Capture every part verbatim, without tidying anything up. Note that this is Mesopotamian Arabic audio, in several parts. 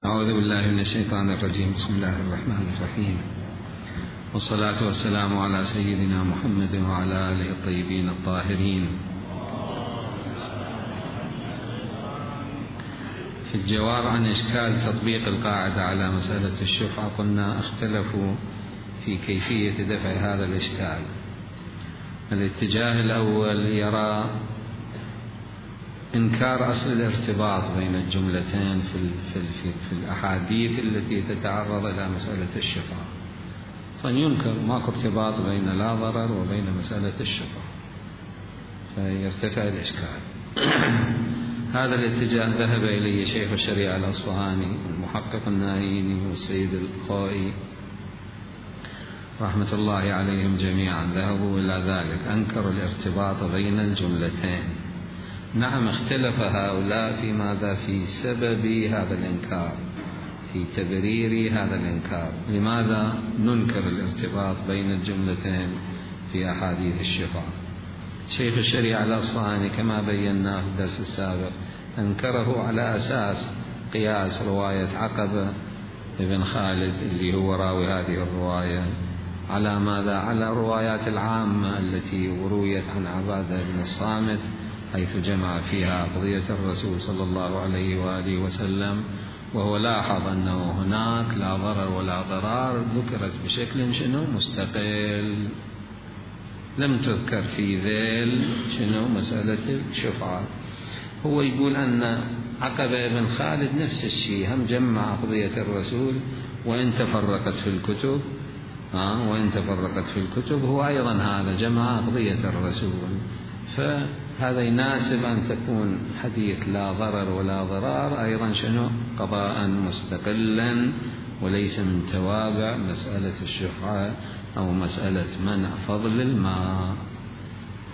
أعوذ بالله من الشيطان الرجيم. بسم الله الرحمن الرحيم، والصلاة والسلام على سيدنا محمد وعلى آله الطيبين الطاهرين. في الجواب عن إشكال تطبيق القاعدة على مسألة الشفعة، قلنا اختلفوا في كيفية دفع هذا الإشكال. الاتجاه الأول يرى إنكار أصل الارتباط بين الجملتين في, في, في, في الأحاديث التي تتعرض إلى مسألة الشفعة، فينكر ماكو ارتباط بين لا ضرر وبين مسألة الشفعة، فيرتفع الإشكال. هذا الاتجاه ذهب إليه شيخ الشريعة الأصفهاني والمحقق النايني والسيد الخوئي رحمة الله عليهم جميعا، ذهبوا إلى ذلك، أنكروا الارتباط بين الجملتين. نعم، اختلف هؤلاء في ماذا؟ في سبب هذا الإنكار، في تبرير هذا الإنكار. لماذا ننكر الارتباط بين الجملتين في أحاديث الشفاعة؟ شيخ الشريعة الأصفهاني كما بينا في الدرس السابق أنكره على أساس قياس رواية عقبة بن خالد اللي هو راوي هذه الرواية على ماذا؟ على الروايات العامة التي رويت عن عبادة بن الصامت، حيث جمع فيها قضية الرسول صلى الله عليه وآله وسلم، وهو لاحظ أنه هناك لا ضرر ولا ضرار ذكرت بشكل شنو؟ مستقل، لم تذكر في ذيل شنو؟ مسألة الشفعة. هو يقول أن عقبة بن خالد نفس الشيء، هم جمع قضية الرسول وإن تفرقت في الكتب، ها وإن تفرقت في الكتب هو أيضا هذا جمع قضية الرسول، فهذا يناسب أن تكون حديث لا ضرر ولا ضرار أيضا شنو؟ قضاء مستقلا، وليس من توابع مسألة الشفعة أو مسألة منع فضل الماء.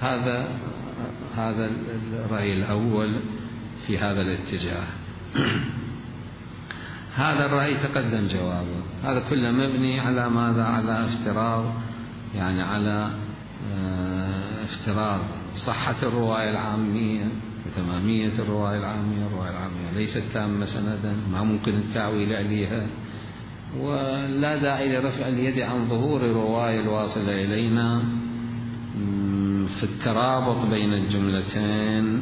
هذا هذا الرأي الأول في هذا الاتجاه. هذا الرأي تقدم جوابه، هذا كله مبني على ماذا؟ على افتراض، يعني على افتراض صحة الرواية العامية وتمامية الرواية العامية. الرواية العامية ليست تامة سندا، ما ممكن التعويل عليها، ولا داعي لرفع اليد عن ظهور الرواية الواصلة إلينا في الترابط بين الجملتين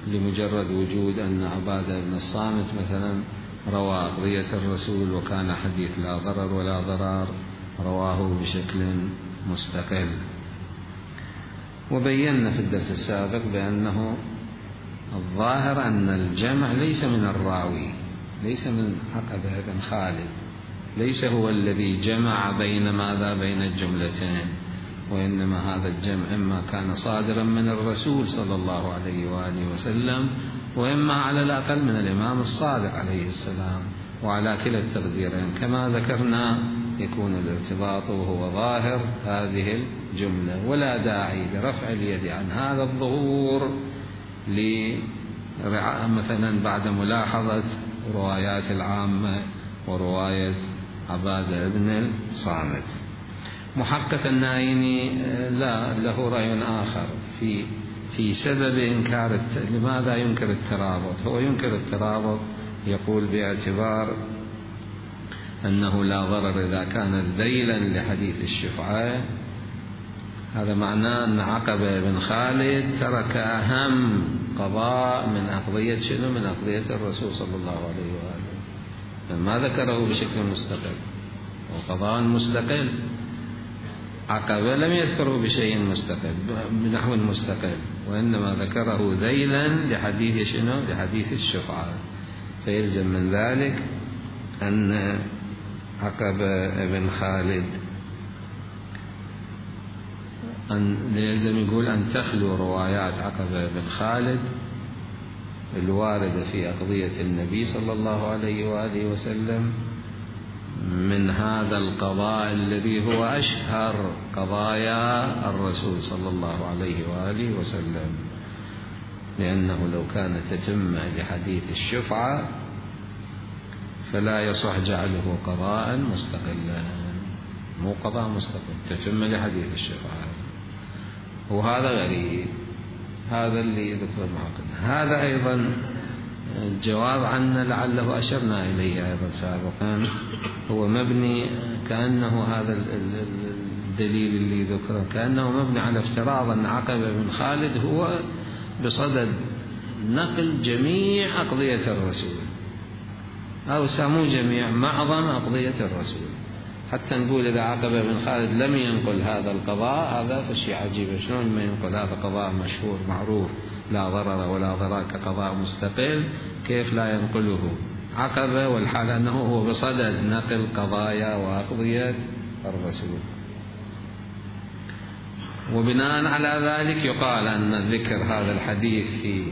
لمجرد وجود أن عبادة بن الصامت مثلا روى قضية الرسول وكان حديث لا ضرر ولا ضرار، رواه بشكل مستقل. وبينا في الدرس السابق بأنه الظاهر أن الجمع ليس من الراوي، ليس من عقبة بن خالد، ليس هو الذي جمع بين ماذا؟ بين الجملتين، وإنما هذا الجمع إما كان صادرا من الرسول صلى الله عليه وآله وسلم، وإما على الأقل من الإمام الصادق عليه السلام، وعلى كلا التقديرين كما ذكرنا يكون الارتباط وهو ظاهر هذه الجملة، ولا داعي لرفع اليد عن هذا الظهور مثلا بعد ملاحظة روايات العامة ورواية عبادة بن الصامت. محقق النايني لا له رأي آخر في في سبب إنكار. لماذا ينكر الترابط؟ هو ينكر الترابط، يقول باعتبار أنه لا ضرر إذا كان ذيلا لحديث الشفعة، هذا معناه أن عقبة بن خالد ترك أهم قضاء من أقضية شنو؟ من أقضية الرسول صلى الله عليه وآله، ما ذكره بشكل مستقل، وقضاء مستقل. عقبة لم يذكره بشيء مستقل بنحو مستقل، وإنما ذكره ذيلا لحديث شنو؟ لحديث الشفعة. فيلزم من ذلك أن عقبة بن خالد أن يلزم يقول أن تخلو روايات عقبة بن خالد الواردة في أقضية النبي صلى الله عليه وآله وسلم من هذا القضاء الذي هو أشهر قضايا الرسول صلى الله عليه وآله وسلم، لأنه لو كانت تتم لحديث الشفعة فلا يصح جعله قضاء مستقلا، مو قضاء مستقل، تتم لحديث الشفعة، وهذا غريب. هذا اللي ذكر المحقق. هذا أيضا الجواب عنه لعله أشرنا إليه أيضا سابقا، هو مبني كأنه هذا الدليل اللي ذكره كأنه مبني على افتراض أن عقبة بن خالد هو بصدد نقل جميع أقضية الرسول، أو سمو جميع معظم أقضية الرسول، حتى نقول إذا عقبة بن خالد لم ينقل هذا القضاء هذا فشيء عجيب، شلون ما ينقل هذا قضاء مشهور معروف لا ضرر ولا ضرار كقضاء مستقل، كيف لا ينقله عقبة والحال أنه هو بصدد نقل قضايا وأقضية الرسول. وبناء على ذلك يقال أن ذكر هذا الحديث في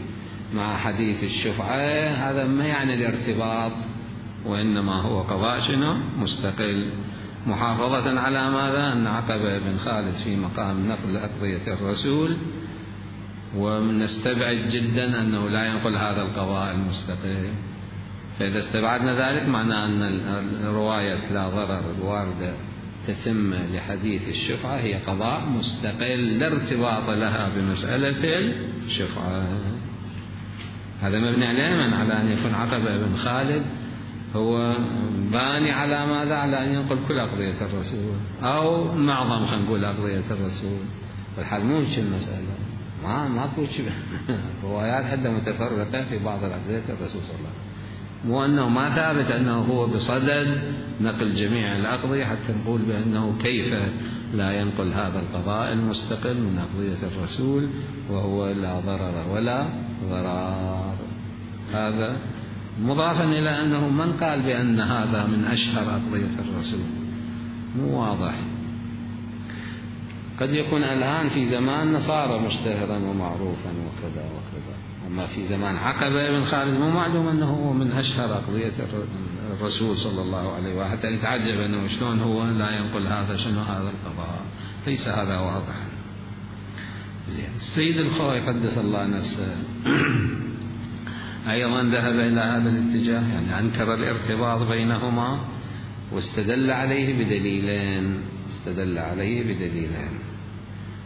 مع حديث الشفعة هذا ما يعني الارتباط، وإنما هو قضاء شنو مستقل، محافظة على ماذا؟ أن عقبة بن خالد في مقام نقل أقضية الرسول، ونستبعد جدا أنه لا ينقل هذا القضاء المستقل. فإذا استبعدنا ذلك معناه أن الرواية لا ضرر الواردة تتم لحديث الشفعة هي قضاء مستقل لا ارتباط لها بمسألة الشفعة. هذا مبني على من؟ على أن يكون عقبة بن خالد هو باني على ماذا؟ على أن ينقل كل أقضية الرسول أو معظم خلينا نقول أقضية الرسول، والحال مو هيك المسألة، ما ماكو شيء روايات حتى متفرقة في بعض الأقضية الرسول صلى الله عليه وسلم، مو أنه ما ثابت أنه هو بصدد نقل جميع الأقضية حتى نقول بأنه كيف لا ينقل هذا القضاء المستقل من أقضية الرسول وهو لا ضرر ولا ضرار. هذا مضافا إلى أنه من قال بأن هذا من أشهر أقضية الرسول مو واضح، قد يكون الآن في زمان صار مشتهرا ومعروفا وكذا وكذا، أما في زمان عقبة بن خالد مو معلوم أنه هو من أشهر أقضية الرسول صلى الله عليه وسلم، حتى يتعجب أنه شلون هو لا ينقل هذا شنو هذا القضاء، ليس هذا واضحا. السيد الخوئي قدس الله نفسه أيضا ذهب إلى هذا الاتجاه، يعني أنكر الارتباط بينهما واستدل عليه بدليلين، استدل عليه بدليلين.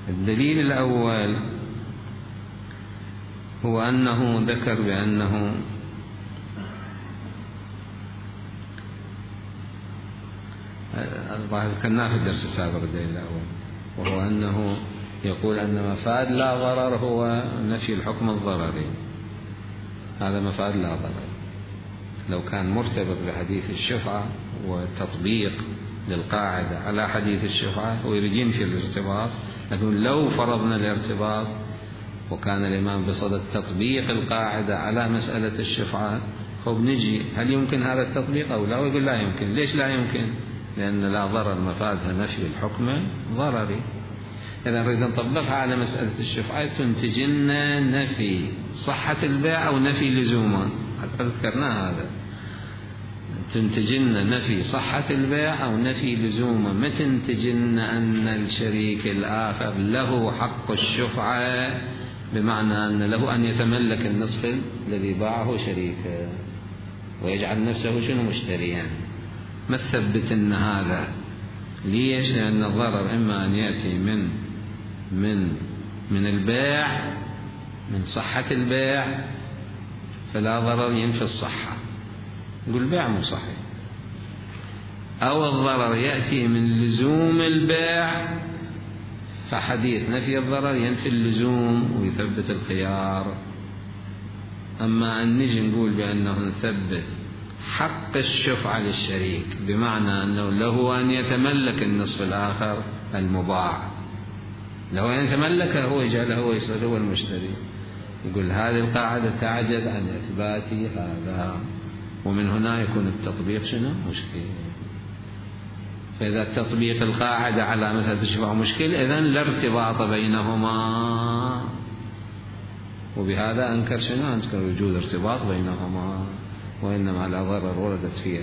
الدليل الأول هو أنه ذكر بأنه ذكرناه في الدرس السابق الدليل الأول، وهو أنه يقول أن مفاد لا ضرر هو نفي الحكم الضرري، هذا مفاد لا ضرر. لو كان مرتبط بحديث الشفعة وتطبيق للقاعدة على حديث الشفعة ويريد ينفي الارتباط، لكن لو فرضنا الارتباط وكان الإمام بصدد تطبيق القاعدة على مسألة الشفعة، خب نجي هل يمكن هذا التطبيق أو لا؟ ويقول لا يمكن. ليش لا يمكن؟ لأن لا ضرر مفادها نفي الحكم ضرري. إذا نريد نطبقها على مسألة الشفعة تنتج لنا نفي صحة البيع أو نفي لزومه، حتى ذكرنا هذا، تنتج لنا نفي صحة البيع أو نفي لزومه، ما تنتج لنا أن الشريك الآخر له حق الشفعة بمعنى أن له أن يتملك النصف الذي باعه شريكه ويجعل نفسه شنو مشتريا. ما تثبت أن هذا. ليش؟ لأن الضرر إما أن يأتي من من من البيع، من صحة البيع، فلا ضرر ينفي الصحة، نقول البيع مو صحيح، أو الضرر يأتي من لزوم البيع، فحديث نفي الضرر ينفي اللزوم ويثبت الخيار. أما أن نجي نقول بأنه نثبت حق الشفعة للشريك بمعنى أنه له أن يتملك النصف الآخر المباع، له أن يتملكه هو يجعله هو يصير هو المشتري، يقول هذه القاعدة تعجز عن إثبات هذا، ومن هنا يكون التطبيق شنو؟ مشكل. فإذا تطبيق القاعدة على مسألة الشفعة مشكل، إذن لا ارتباط بينهما، وبهذا أنكر شنو؟ أنكر وجود ارتباط بينهما، وإنما لا ضرر وردت فيه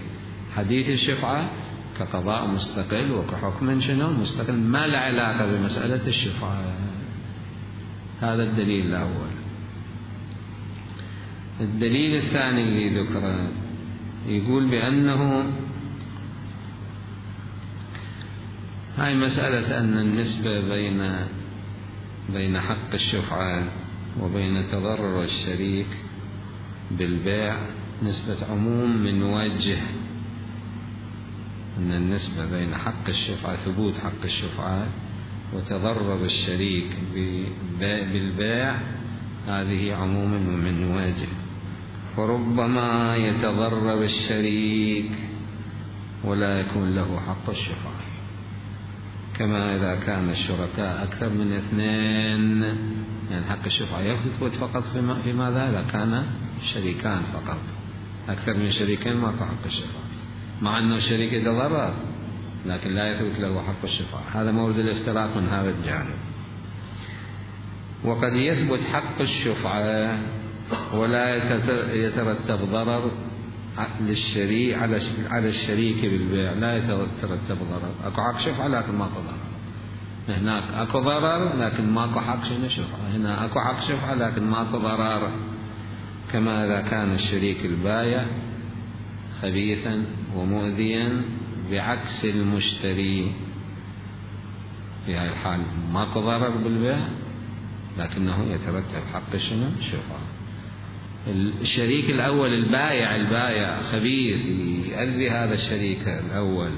حديث الشفعة كقضاء مستقل وكحكم شنو؟ مستقل، ما له علاقة بمسألة الشفعة. هذا الدليل الأول. الدليل الثاني اللي ذكره يقول بأنه هاي مسألة أن النسبة بين بين حق الشفعة وبين تضرر الشريك بالبيع نسبة عموم من وجه، أن النسبة بين حق الشفعة، ثبوت حق الشفعة وتضرر الشريك بالبيع، هذه عموم من وجه. فربما يتضرر الشريك ولا يكون له حق الشفعة، كما إذا كان الشركاء أكثر من اثنين، يعني حق الشفعة يثبت فقط في ماذا؟ إذا كان شريكان فقط، أكثر من شريكين ما حق الشفعة، مع أنه الشريك يتضرر لكن لا يثبت له حق الشفعة. هذا مورد الافتراق من هذا الجانب. وقد يثبت حق الشفعة ولا يترتب ضرر للشريك على الشريك بالبيع، لا يترتب ضرر. أكو حق شفعة لكن ماكو ضرر، هناك أكو ضرر لكن ماكو حق شفعة، هنا أكو حق شفعة لكن ماكو ضرر. كما إذا كان الشريك البايع خبيثا ومؤذيا بعكس المشتري، في هذه الحال ماكو ضرر بالبيع لكنه يترتب حق شنو؟ الشفعة. الشريك الأول البايع البايع خبيث يؤذي هذا الشريك الأول،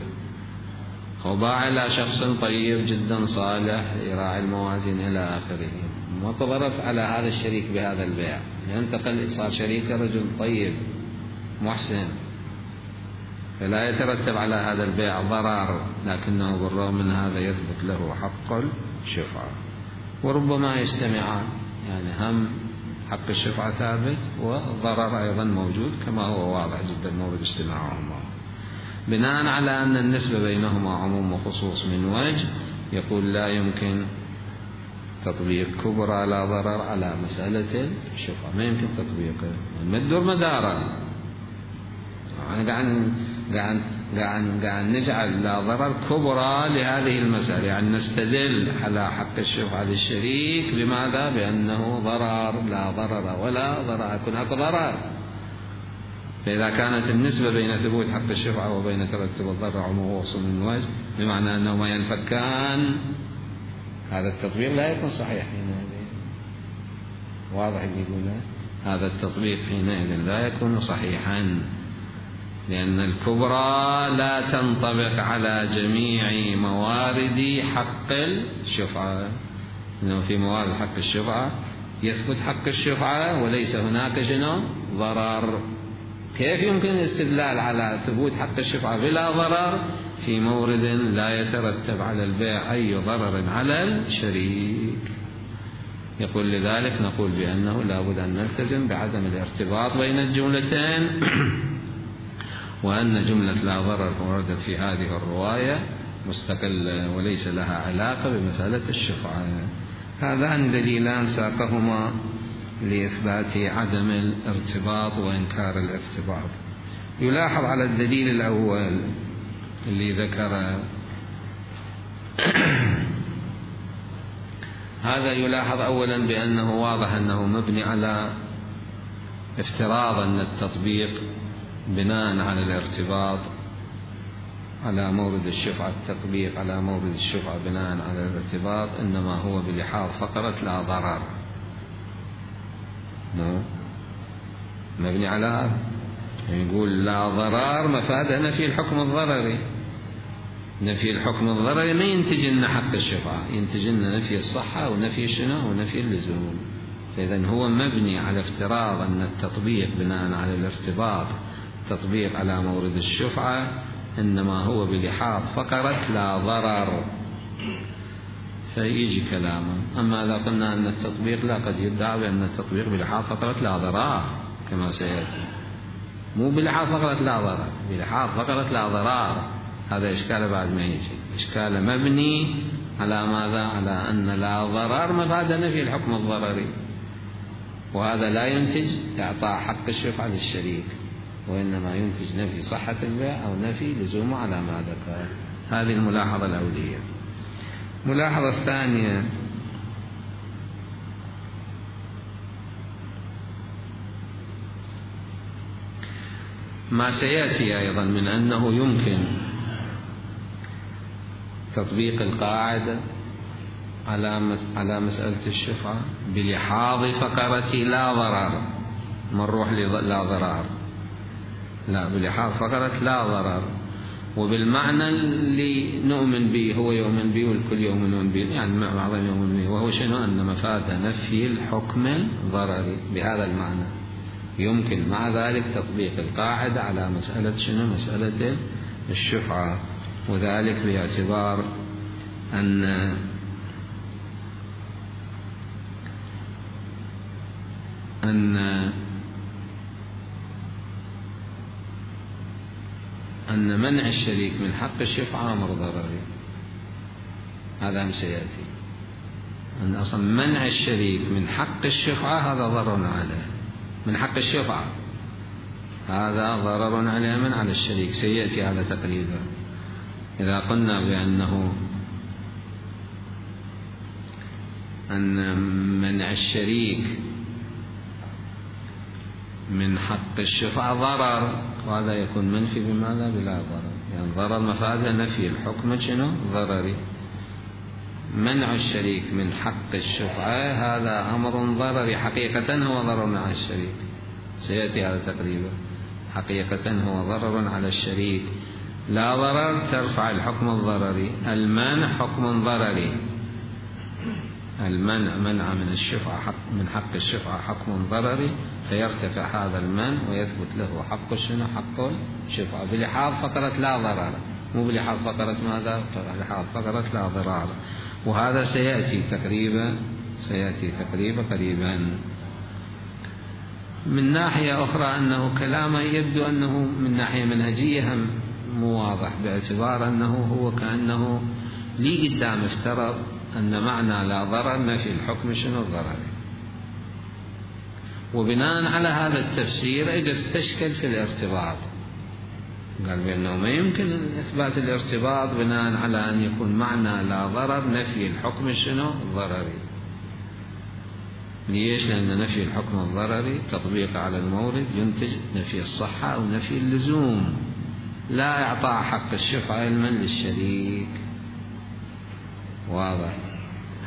وباع إلى شخص طيب جدا صالح يراعي الموازين إلى آخره، ماكو ضرر على هذا الشريك بهذا البيع، ينتقل صار شريك رجل طيب محسن، فلا يترتب على هذا البيع ضرر، لكنه بالرغم من هذا يثبت له حق الشفعة. وربما يجتمعان، يعني هم حق الشفعة ثابت وضرر أيضا موجود، كما هو واضح جدا مورد اجتماعهما. بناء على أن النسبة بينهما عموم وخصوص من وجه، يقول لا يمكن تطبيق كبرى لا ضرر على مسألة الشفعة، ما يمكن تطبيقه، ما تدور مداره. يعني قاعد قاعد قاعد قاعد نجعل لا ضرر كبرى لهذه المسألة، يعني نستدل على حق الشفعة للشريك بماذا؟ بأنه ضرر، لا ضرر ولا ضرر، يكون هناك ضرر. فإذا كانت النسبة بين ثبوت حق الشفعة وبين ترتب الضرر عموم وصل من وجه، بمعنى أنهما ينفكان، هذا التطبيق لا يكون صحيح حينئذ. واضح اللي يقوله؟ هذا التطبيق حينئذ لا يكون صحيحا، لأن الكبرى لا تنطبق على جميع موارد حق الشفعة، إنه في موارد حق الشفعة يثبت حق الشفعة وليس هناك شنو؟ ضرر. كيف يمكن الاستدلال على ثبوت حق الشفعة بلا ضرر في مورد لا يترتب على البيع أي ضرر على الشريك؟ يقول لذلك نقول بأنه لا بد أن نلتزم بعدم الارتباط بين الجملتين، وأن جملة لا ضرر وردت في هذه الرواية مستقلة وليس لها علاقة بمسألة الشفعة. هذان دليلان ساقهما لإثبات عدم الارتباط وإنكار الارتباط. يلاحظ على الدليل الأول اللي ذكر هذا، يلاحظ أولا بأنه واضح أنه مبني على افتراض أن التطبيق بناء على الارتباط على مورد الشفعة، التطبيق على مورد الشفعة بناء على الارتباط إنما هو بلحاظ فقرة لا ضرر، مو مبني على هذا. يقول لا ضرر مفادة نفي الحكم الضرري، نفي الحكم الضرري ما ينتج لنا حق الشفعة، ينتج لنا نفي الصحة ونفي شنو ونفي اللزوم. فإذا هو مبني على افتراض أن التطبيق بناء على الارتباط، التطبيق على مورد الشفعة إنما هو بلحاظ فقرة لا ضرر، فيجي كلامه. أما إذا قلنا أن التطبيق لا، قد يدعى بأن التطبيق بلحاظ فقرة لا ضرر كما سيأتي، مو بلحاظ فقرة لا ضرر، بلحاظ فقرة لا ضرر. هذا إشكال بعد ما يجي، إشكال مبني على ماذا؟ على أن لا ضرر مفاد نفي الحكم الضرري، وهذا لا ينتج إعطاء حق الشفعة للشريك، وإنما ينتج نفي صحة البيع أو نفي لزومه على ما ذكر. هذه الملاحظة الأولية. الملاحظة الثانية، ما سيأتي أيضا من أنه يمكن تطبيق القاعدة على على مسألة الشفعة بلحاظ فقرة لا ضرر، ما نروح لا ضرار، لا، بلحاظ فقرة لا ضرر، وبالمعنى اللي نؤمن به، هو يؤمن به والكل يؤمنون به، يعني بعضهم يؤمن به، وهو شنو؟ أن مفاد نفي الحكم الضرري بهذا المعنى. يمكن مع ذلك تطبيق القاعدة على مسألة شنو؟ مسألة الشفعة، وذلك باعتبار أن أن أن منع الشريك من حق الشفعة أمر ضرري، هذا هم سيأتي، أن أصلا منع الشريك من حق الشفعة هذا ضرر عليه، من حق الشفعة هذا ضرر عليه من على الشريك، سيأتي هذا تقريبا. إذا قلنا بأنه أن منع الشريك من حق الشفعة ضرر، وهذا يكون منفي بماذا؟ بلا ضرر، يعني ضرر مفاده نفي الحكم شنو؟ ضرري. منع الشريك من حق الشفعة هذا أمر ضرري، حقيقة هو ضرر على الشريك، سيأتي هذا تقريبا. حقيقة هو ضرر على الشريك، لا ضرر ترفع الحكم الضرري، المنع حكم ضرري، المنع منع من الشفعة حق من حق الشفعة حكم ضرري، فيرتفع هذا المنع ويثبت له حق شنو؟ حق الشفعة بلحاظ فقرة لا ضرر، مو بلحاظ فقرة ماذا؟ بلحاظ فقرة لا ضرر، وهذا سيأتي تقريبا سيأتي تقريبا قريبا. من ناحية أخرى أنه كلامه يبدو أنه من ناحية منهجية هم مو واضح، باعتبار أنه هو كأنه لي قدام افترض أن معنى لا ضرر نفي الحكم شنو؟ الضرري، وبناء على هذا التفسير اجى استشكل في الارتباط، قال بأنه ما يمكن إثبات الارتباط بناء على أن يكون معنى لا ضرر نفي الحكم شنو؟ الضرري. ليش؟ لأن نفي الحكم الضرري تطبيق على المورد ينتج نفي الصحة أو نفي اللزوم، لا إعطاء حق الشفعة علما للشريك. واضح؟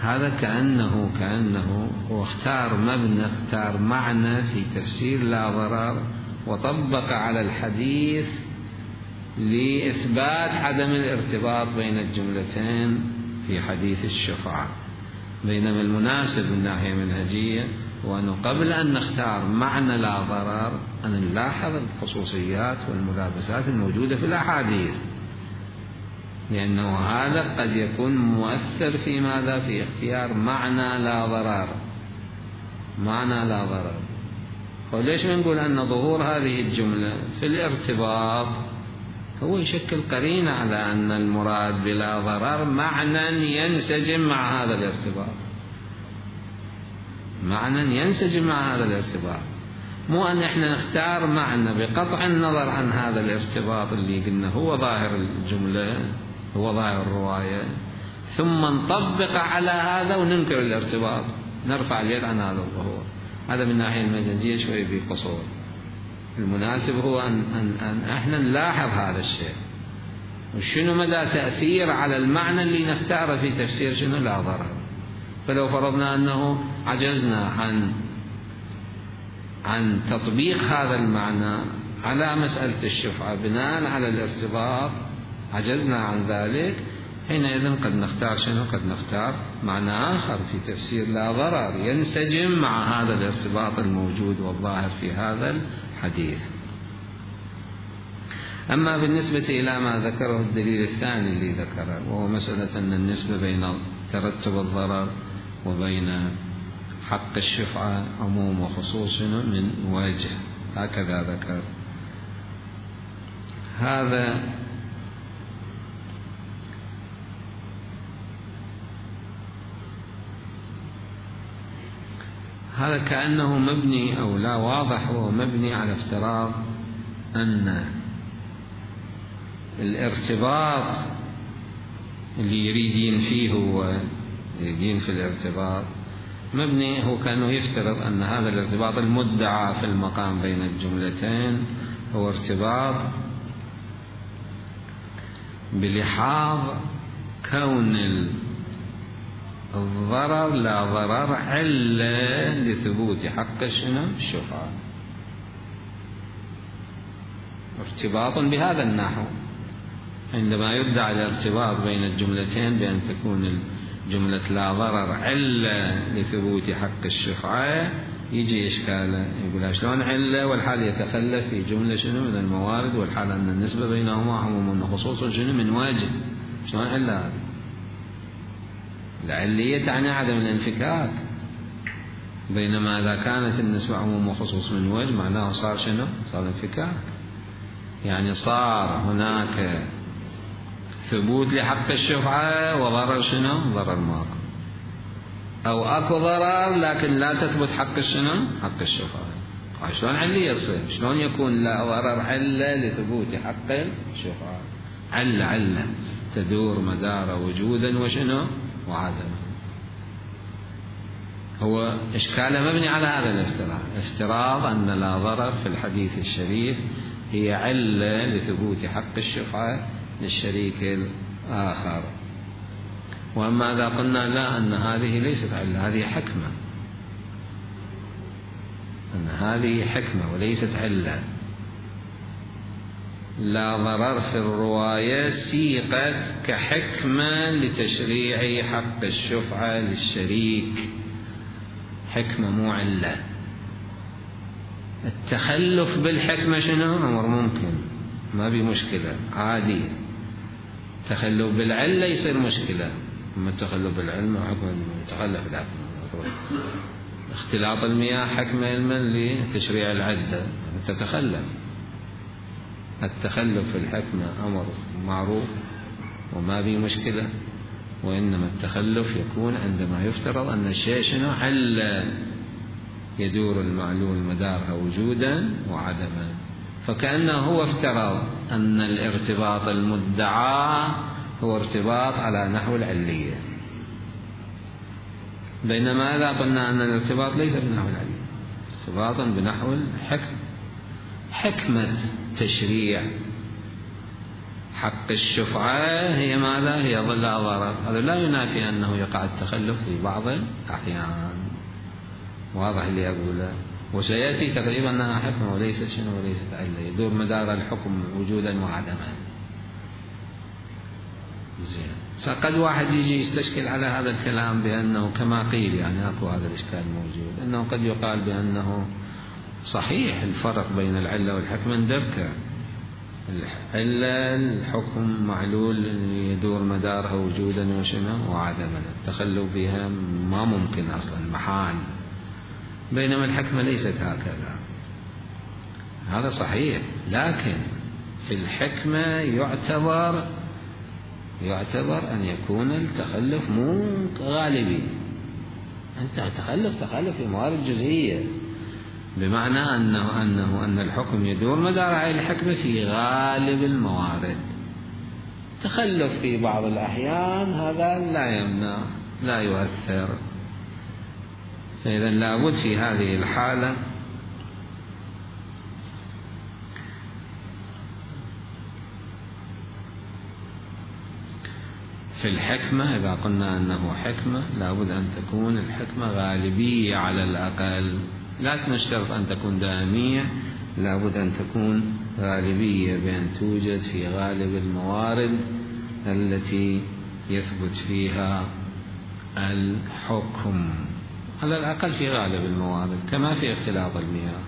هذا كأنه كأنه هو اختار مبنى، اختار معنى في تفسير لا ضرر، وطبق على الحديث لإثبات عدم الارتباط بين الجملتين في حديث الشفعة. بينما المناسب من ناحية منهجية وأنه قبل أن نختار معنى لا ضرر أن نلاحظ الخصوصيات والملابسات الموجودة في الأحاديث، لأنه هذا قد يكون مؤثر في ماذا؟ في اختيار معنى لا ضرر، معنى لا ضرر. وليش بنقول أن ظهور هذه الجملة في الارتباط هو يشكل قرينة على أن المراد بلا ضرر معنى ينسجم مع هذا الارتباط، معنى ينسجم مع هذا الارتباط، مو أن احنا نختار معنى بقطع النظر عن هذا الارتباط اللي قلنا هو ظاهر الجملة، هو ظاهر الرواية، ثم نطبق على هذا وننكر الارتباط، نرفع اليد عن هذا الظهور. هذا من ناحية المنهجية شوي بقصور. المناسب هو أن, أن, أن احنا نلاحظ هذا الشيء، وشنو مدى تأثير على المعنى اللي نختاره في تفسير شنو لا ضرر. فلو فرضنا أنه عجزنا عن عن تطبيق هذا المعنى على مسألة الشفعة بناء على الارتباط، عجزنا عن ذلك، حينئذ قد نختار شنو؟ قد نختار معنى آخر في تفسير لا ضرر ينسجم مع هذا الارتباط الموجود والظاهر في هذا الحديث. أما بالنسبة إلى ما ذكره الدليل الثاني اللي ذكره، وهو مسألة أن النسبة بين ترتب الضرر وبين حق الشفعة عموم وخصوص من وجه، هكذا ذكر. هذا هذا كأنه مبني أو لا واضح، هو مبني على افتراض أن الارتباط اللي يريد ينفيه هو يريدين في الارتباط مبني، هو كأنه يفترض أن هذا الارتباط المدعى في المقام بين الجملتين هو ارتباط بلحاظ كون الضرر لا ضرر علة لثبوت حق شنو؟ الشفعة. ارتباط بهذا النحو. عندما يدعى الارتباط بين الجملتين بأن تكون الجملة لا ضرر علة لثبوت حق الشفعة، يجي إشكاله، يقول شلون علة والحال يتخلف في جملة شنو من الموارد، والحال أن النسبة بينهما عموم وخصوص شنو من وجه، شلون علة هذه؟ العلية تعني عدم الانفكاك، بينما إذا كانت النسبة عموم وخصوص من وجه معناه صار شنو؟ صار انفكاك، يعني صار هناك ثبوت لحق الشفعة وضرر شنو؟ ضرر ماكو، أو أكو ضرر لكن لا تثبت حق الشنو؟ حق الشفعة. شلون علية يصير؟ شلون يكون لا ضرر علة لثبوت حق الشفعة؟ علة علة تدور مدار وجودا وشنو؟ وعدما. هو إشكاله مبني على هذا الافتراض، افتراض أن لا ضرر في الحديث الشريف هي علة لثبوت حق الشفعة للشريك الآخر. وأما إذا قلنا لا، أن هذه ليست علة، هذه حكمة، أن هذه حكمة وليست علة. لا ضرر في الرواية سيقت كحكمة لتشريع حق الشفعة للشريك، حكمة مو علة. التخلف بالحكمة شنو؟ أمر ممكن، ما بي مشكلة، عادي. التخلف بالعلة يصير مشكلة. أما التخلف بالعلم حكم تخلف الحكمة. اختلاط المياه حكمة علما لتشريع العدة، تتخلف. التخلف في الحكمة أمر معروف وما بي مشكلة، وإنما التخلف يكون عندما يفترض أن الشيء شنو؟ علة يدور المعلول مدارها وجودا وعدما. فكأنه هو افترض أن الارتباط المدعى هو ارتباط على نحو العلية، بينما إذا قلنا أن الارتباط ليس بنحو العلية، ارتباط بنحو الحكم، حكمة تشريع حق الشفعة هي ماذا؟ هي ظل ضرر. هذا لا ينافي أنه يقع التخلف في بعض الأحيان، واضح اللي أقوله، وسيأتي تقريبا أنها حكمة وليست شنو؟ وليست علة، يدور مدار الحكم وجودا وعدما. زين، قد واحد يجي يستشكل على هذا الكلام بأنه كما قيل، يعني أكو هذا الإشكال موجود، أنه قد يقال بأنه صحيح الفرق بين العلة والحكمة ندبكة. العلة الحكم معلول يدور مدارها وجودا وشنو؟ وعدما، التخلف بها ما ممكن أصلا، محال. بينما الحكمة ليست هكذا. هذا صحيح، لكن في الحكمة يعتبر يعتبر أن يكون التخلف مو غالبي. أنت تخلف تخلف في موارد جزئية، بمعنى أنه أنه أن الحكم يدور مدار هذه الحكمة في غالب الموارد. تخلف في بعض الأحيان هذا لا يمنع، لا يؤثر. فإذا لابد في هذه الحالة في الحكمة، إذا قلنا أنه حكمة لابد أن تكون الحكمة غالبية على الأقل، لا نشترط أن تكون دائمية، لابد أن تكون غالبية، بأن توجد في غالب الموارد التي يثبت فيها الحكم، على الأقل في غالب الموارد، كما في اختلاط المياه.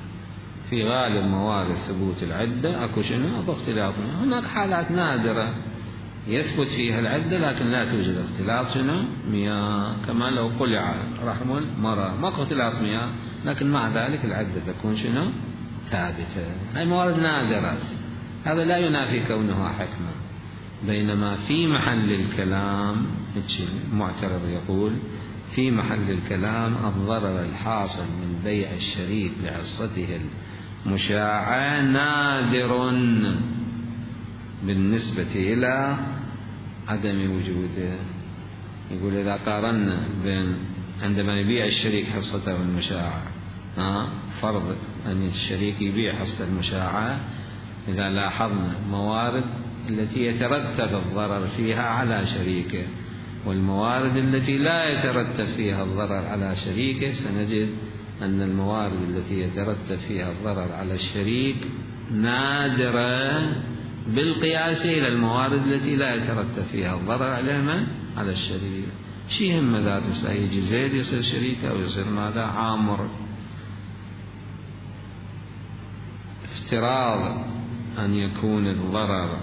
في غالب موارد ثبوت العدة أكو شنو؟ أكو اختلاط مياه. هناك حالات نادرة يثبت فيها العدة لكن لا توجد اختلاط شنو؟ مياه، كما لو قلع رحم المرأة، ما أكو اختلاط مياه، لكن مع ذلك العدة تكون شنو؟ ثابتة. هاي موارد نادرة، هذا لا ينافي كونها حكمة. بينما في محل الكلام المعترض يقول في محل الكلام الضرر الحاصل من بيع الشريك لحصته المشاعة نادر بالنسبة إلى عدم وجوده. يقول إذا قارنا بين عندما يبيع الشريك حصته المشاعة، آه فرض أن الشريك يبيع حصة المشاعة، إذا لاحظنا موارد التي يترتب الضرر فيها على شريكه والموارد التي لا يترتب فيها الضرر على شريكه، سنجد أن الموارد التي يترتب فيها الضرر على الشريك نادرة بالقياس إلى الموارد التي لا يترتب فيها الضرر على من؟ على الشريك. شي يهم ذات يجي زيد يصير شريكه أو يصير ماذا؟ عامر. افتراض أن يكون الضرر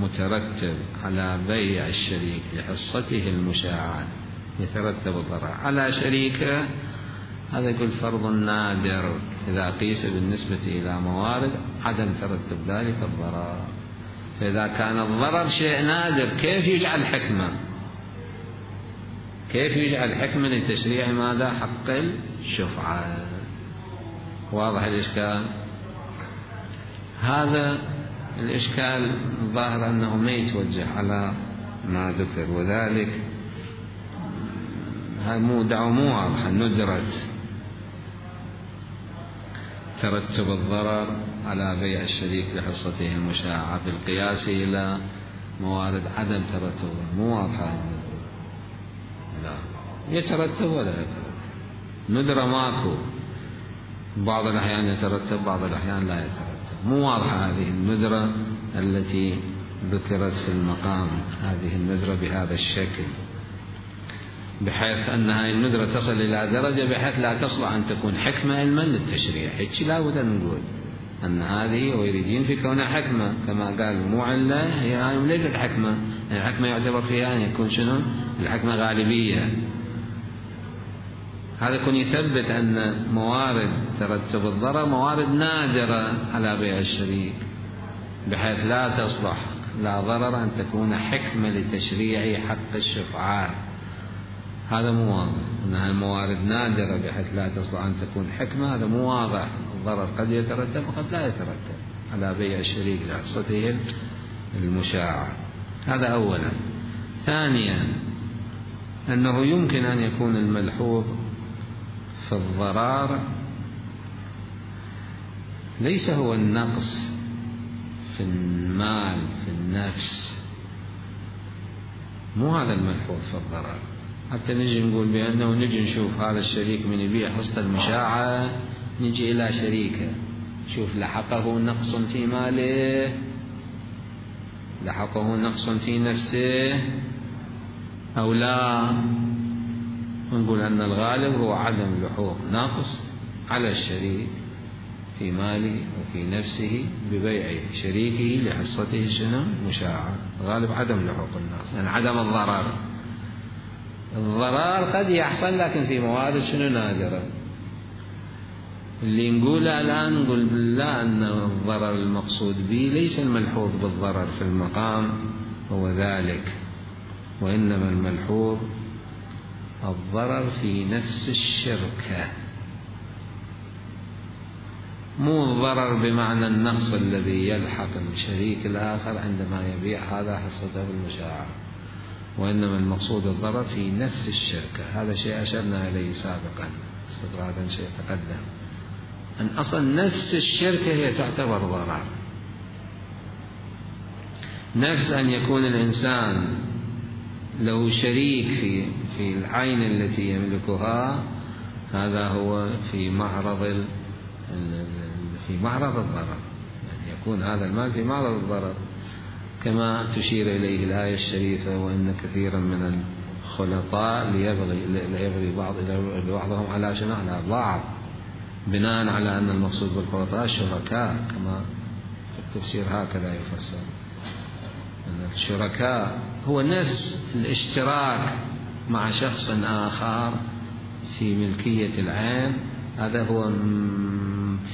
مترتب على بيع الشريك لحصته المشاعة، يترتب الضرر على شريكه، هذا يقول فرض نادر إذا قيس بالنسبة إلى موارد عدم ترتب ذلك الضرر. فإذا كان الضرر شيء نادر كيف يجعل حكمة؟ كيف يجعل حكمة لتشريع ماذا؟ حق الشفعة. واضح الإشكال؟ هذا الإشكال الظاهر أنه ما يتوجه على ما ذكر، وذلك هاي مو دعوة مو واضحة. ندرة ترتب الضرر على بيع الشريك لحصته المشاعة بالقياس إلى موارد عدم ترتبه، مو واضحة. لا يترتب ولا يترتب، ندرة ماكو، بعض الأحيان يترتب بعض الأحيان لا يترتب، مو واضحة هذه الندرة التي ذكرت في المقام، هذه الندرة بهذا الشكل، بحيث أن هذه الندرة تصل إلى درجة بحيث لا تصلح أن تكون حكمة علما للتشريع. هيك لا بد أن نقول أن هذه ويريدين في كونها حكمة، كما قال مو علة، هي ليست حكمة. الحكمة يعتبر فيها أن يكون شنو؟ الحكمة غالبية. هذا يكون يثبت أن موارد ترتب الضرر موارد نادرة على بيع الشريك، بحيث لا تصلح لا ضرر أن تكون حكمة لتشريع حق الشفعات. هذا مو واضح، أنها الموارد نادرة بحيث لا تصلح أن تكون حكمة، هذا مو واضح. الضرر قد يترتب وقد لا يترتب على بيع الشريك لحصته المشاعة. هذا أولا. ثانيا أنه يمكن أن يكون الملحوظ في الضرر ليس هو النقص في المال في النفس، مو هذا الملحوظ في الضرر. حتى نجي نقول بأنه نجي نشوف هذا الشريك من يبيع حصة المشاعة، نجي إلى شريكه شوف لحقه نقص في ماله، لحقه نقص في نفسه أو لا، نقول أن الغالب هو عدم لحوق نقص على الشريك في ماله وفي نفسه ببيع شريكه لحصته شنو؟ مشاعة. غالب عدم لحوق النقص، يعني عدم الضرر. الضرر قد يحصل لكن في موارد شنو؟ نادرة. اللي نقوله الآن نقول بالله أن الضرر المقصود به ليس الملحوظ بالضرر في المقام هو ذلك، وإنما الملحوظ الضرر في نفس الشركة، مو الضرر بمعنى النقص الذي يلحق الشريك الآخر عندما يبيع هذا حصته بالمشاعة، وإنما المقصود الضرر في نفس الشركة. هذا شيء أشرنا إليه سابقا استطرادا، شيء تقدم، أن أصلا نفس الشركة هي تعتبر ضرر. نفس أن يكون الإنسان له شريك في في العين التي يملكها، هذا هو في معرض في معرض الضرر، يعني يكون هذا المال في معرض الضرر، كما تشير إليه الآية الشريفة: وإن كثيرا من الخلطاء ليبغي ليبغي بعض بعضهم على شنو؟ على بعض، بناء على أن المقصود بالخلطاء الشركاء، كما في التفسير هكذا يفسر أن الشركاء هو نفس الاشتراك مع شخص آخر في ملكية العين. هذا هو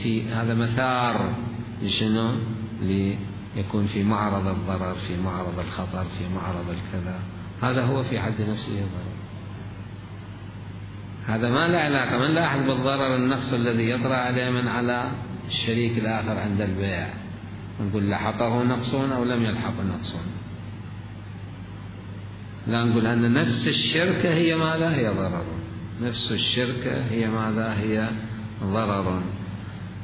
في هذا مثار لشنو؟ ليكون في معرض الضرر، في معرض الخطر، في معرض الكذا. هذا هو في حد نفسه ضرر. هذا ما له علاقة، من لاحظ بالضرر النقص الذي يطرأ عليه من على الشريك الآخر عند البيع، نقول لحقه نقص أو لم يلحق نقص. لا، نقول أن نفس الشركة هي ماذا؟ هي ضرر. نفس الشركة هي ماذا؟ هي ضرر.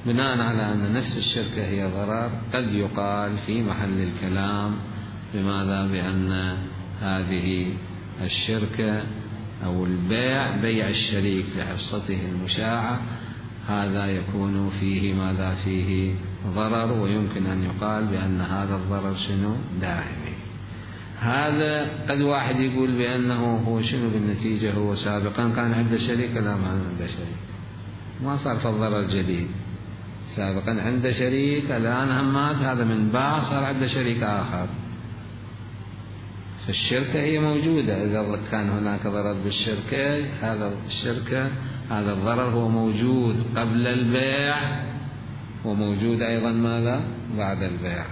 بناء على أن نفس الشركة هي ضرر، قد يقال في محل الكلام بماذا؟ بأن هذه الشركة أو البيع، بيع الشريك لحصته المشاعة، هذا يكون فيه ماذا؟ فيه ضرر ويمكن أن يقال بأن هذا الضرر شنو دائمي. هذا قد واحد يقول بأنه هو شنو بالنتيجة هو سابقا كان عنده شريك، لا ما عنده شريك، ما صار في الضرر جديد، سابقا عنده شريك الآن هم مات، هذا من باع صار عنده شريك آخر. فالشركة هي موجودة، إذا كان هناك ضرر بالشركة هذا الشركة هذا الضرر هو موجود قبل البيع وموجود أيضا ماذا بعد البيع.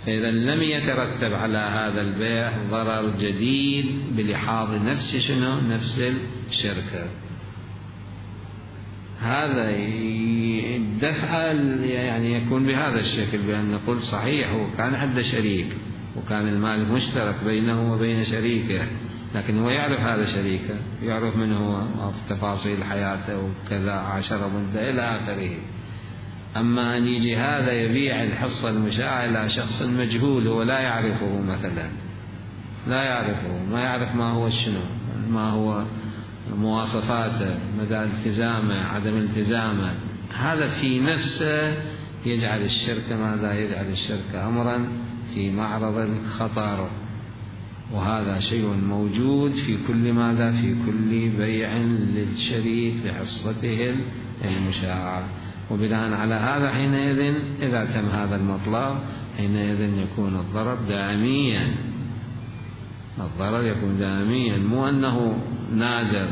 فإذا لم يترتب على هذا البيع ضرر جديد بلحاظ نفس شنو نفس الشركة، هذا الدفع يعني يكون بهذا الشكل، بأن نقول صحيح هو كان عنده شريك وكان المال مشترك بينه وبين شريكه، لكن هو يعرف هذا شريكه، يعرف من هو في تفاصيل حياته وكذا، عشر مدة إلى آخره. أما أن يجي هذا يبيع الحصة المشاعة إلى شخص مجهول هو لا يعرفه مثلا، لا يعرفه، ما يعرف ما هو شنو، ما هو مواصفاته، مدى التزامه، عدم التزامه، هذا في نفسه يجعل الشركة ماذا؟ يجعل الشركة أمرا في معرض الخطر. وهذا شيء موجود في كل ماذا؟ في كل بيع للشريك لحصته المشاعة. وبناء على هذا حينئذ إذا تم هذا المطلب حينئذ يكون الضرر دائميا، الضرر يكون دائميا، مو أنه نادر.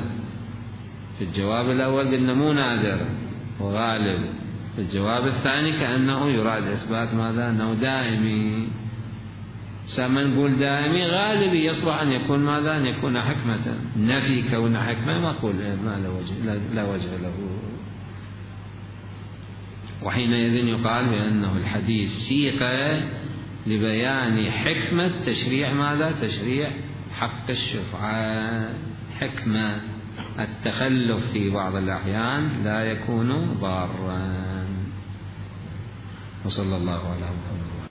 في الجواب الأول قلنا مو نادر وغالب، في الجواب الثاني كأنه يراد إثبات ماذا؟ أنه دائمي. سما نقول دائمي غالبي يصلح أن يكون ماذا؟ أن يكون حكمة. نفي كون حكمة ما أقول ما لا وجه, لا وجه له. وحينئذ يقال بأنه الحديث سيق لبيان حكمة تشريع ماذا؟ تشريع حق الشفعة. حكمة التخلف في بعض الأحيان لا يكون ضارا. وصلى الله على محمد.